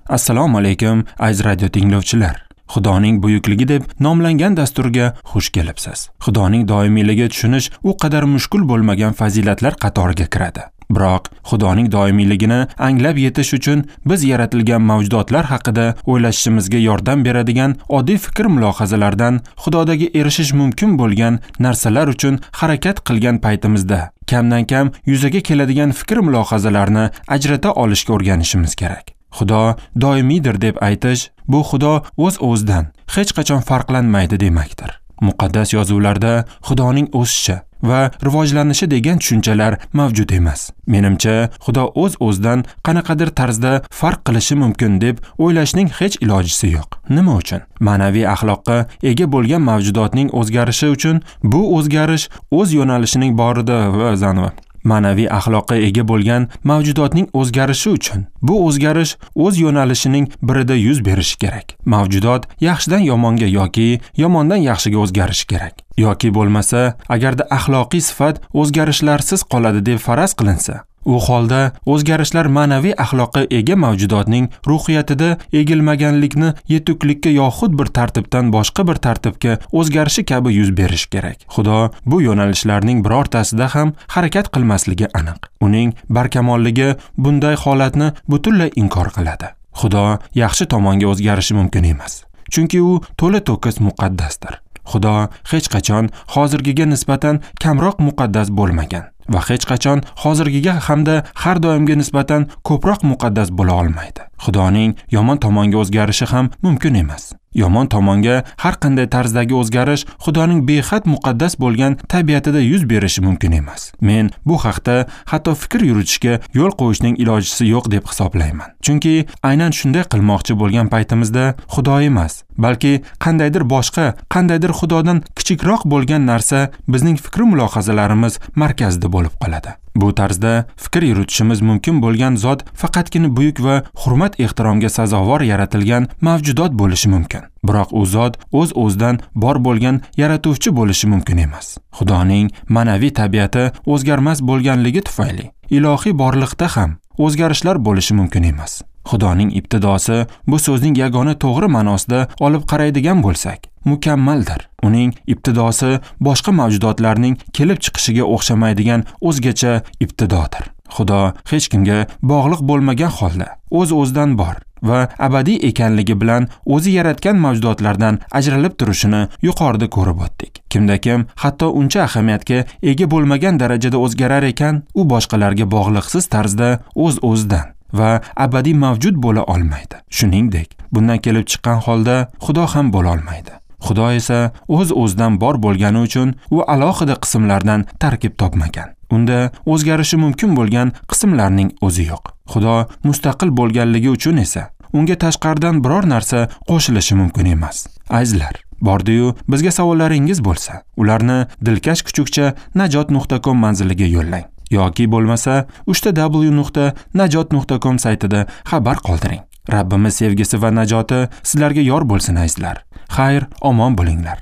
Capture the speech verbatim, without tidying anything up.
Assalomu alaykum, aziz radio tinglovchilar. Xudoning buyukligi deb nomlangan dasturga xush kelibsiz. Xudoning doimiyligi tushunish u qadar mushkul bo'lmagan fazilatlar qatoriga kiradi. Biroq Xudoning doimiyligini anglab yetish uchun biz yaratilgan mavjudotlar haqida o'ylashimizga yordam beradigan oddiy fikr mulohazalardan Xudodagi erishish mumkin bo'lgan narsalar uchun harakat qilgan paytimizda kamdan-kam yuzaga keladigan fikr mulohazalarni ajrata olishga o'rganishimiz kerak. Xudo doimiydir deb aytish, bu Xudo o'z-o'zidan hech qachon farqlanmaydi demakdir. Muqaddas yozuvlarda Xudoning o'sishi va rivojlanishi degan tushunchalar mavjud emas. Menimcha, Xudo o'z-o'zidan qanaqadir tarzda farq qilishi mumkin deb o'ylashning hech ilojisi yo'q. Nima uchun? Ma'naviy axloqqa ega bo'lgan mavjudotning o'zgarishi uchun bu o'zgarish o'z yo'nalishining borida va zanva. Ma'naviy axloqqa ega bo'lgan mavjudotning o'zgarishi uchun bu o'zgarish o'z yo'nalishining birida yuz berishi kerak. Mavjudot yaxshidan yomonga yoki yomondan yaxshiga o'zgarishi kerak. Yoki bo'lmasa, agarda axloqiy sifat o'zgarishlarsiz qoladi deb faraz qilinsa, u holda o'zgarishlar ma'naviy axloqqa ega mavjudotning ruhiyatida egilmaganlikni yetuklikka yoxud bir tartibdan boshqa bir tartibga o'zgarishi kabi yuz berishi kerak. Xudo bu yo'nalishlarning birortasida ham harakat qilmasligi aniq. Uning barkamolligi bunday holatni butunlay inkor qiladi. Xudo yaxshi tomonga o'zgarishi mumkin emas, chunki u to'la to'kis muqaddasdir. Xudo hech qachon hozirgiga nisbatan kamroq muqaddas bo'lmagan va hech qachon hozirgiga hamda har doimga nisbatan ko'proq muqaddas bo'la olmaydi. Xudoning yomon tomonga o'zgarishi ham mumkin emas. Yomon tomonga har qanday tarzdagi o'zgarish Xudoning behad muqaddas bo'lgan tabiatida yuz berishi mumkin emas. Men bu haqda hatto fikr yuritishga yo'l qo'yishning ilojisi yo'q deb hisoblayman. Chunki aynan shunday qilmoqchi bo'lgan paytimizda Xudo emas, balki qandaydir boshqa, qandaydir Xudodan kichikroq bo'lgan narsa bizning fikr mulohazalarimiz markazida bo'lib qoladi. Bu tarzda fikr yuritishimiz mumkin bo'lgan zot faqatgina buyuk va hurmat ehtiromga sazovor yaratilgan mavjudot bo'lishi mumkin. Biroq u zot o'z-o'zidan bor bo'lgan yaratuvchi bo'lishi mumkin emas. Xudoning ma'naviy tabiati o'zgarmas bo'lganligi tufayli ilohiy borliqda ham o'zgarishlar bo'lishi mumkin emas. Xudoning ibtidosi bu so'zning yagona to'g'ri ma'nosida olib qaraydigan bo'lsak, mukammaldir. Uning ibtidosi boshqa mavjudotlarning kelib chiqishiga o'xshamaydigan o'zgacha ibtidodir. Xudo hech kimga bog'liq bo'lmagan holda o'z-o'zidan bor va abadiy ekanligi bilan o'zi yaratgan mavjudotlardan ajralib turishini yuqorida ko'rib o'tdik. Kimda-kim hatto uncha ahamiyatga ega bo'lmagan darajada o'zgarar ekan, u boshqalarga bog'liqsiz tarzda o'z-o'zidan va abadiy mavjud bo'la olmaydi. Shuningdek, bundan kelib chiqqan holda Xudo ham bo'la olmaydi. Xudo esa o'z-o'zidan bor bo'lgani uchun u alohida qismlardan tarkib topmagan. Unda o'zgarishi mumkin bo'lgan qismlarning o'zi yo'q. Xudo mustaqil bo'lganligi uchun esa unga tashqaridan biror narsa qo'shilishi mumkin emas. Azizlar, bordi-yu bizga savollaringiz bo'lsa, ularni dilkash kuchukcha najot nuqta com manziliga yo'llang yoki bo'lmasa uchta w nuqta najot nuqta com saytida xabar qoldiring. Rabbimiz sevgisi va najoti sizlarga yor bo'lsin azizlar. Xayr, omon bo'linglar.